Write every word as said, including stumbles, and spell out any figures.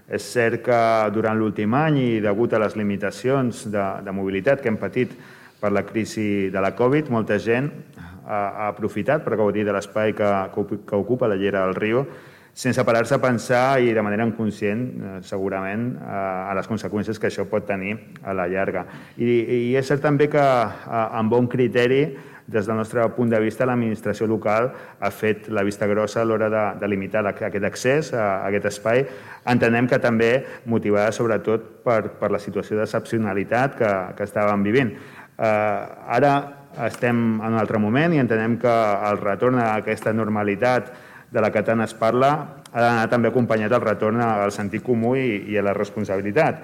És cert que durant l'últim any i degut a les limitacions de, de mobilitat que hem patit per la crisi de la Covid, molta gent ha, ha aprofitat per gaudir de l'espai que, que ocupa la Llera del Riu, sense parar-se a pensar i de manera inconscient, eh, segurament, eh, a les conseqüències que això pot tenir a la llarga. I, i és cert també que, eh, amb bon criteri, des del nostre punt de vista, l'administració local ha fet la vista grossa a l'hora de, de limitar aquest accés a aquest espai. Entenem que també motivada sobretot per, per la situació d'excepcionalitat que, que estàvem vivint. Eh, ara estem en un altre moment i entenem que el retorn a aquesta normalitat de la que tant es parla ha d'anar també acompanyat del retorn al sentit comú i, i a la responsabilitat.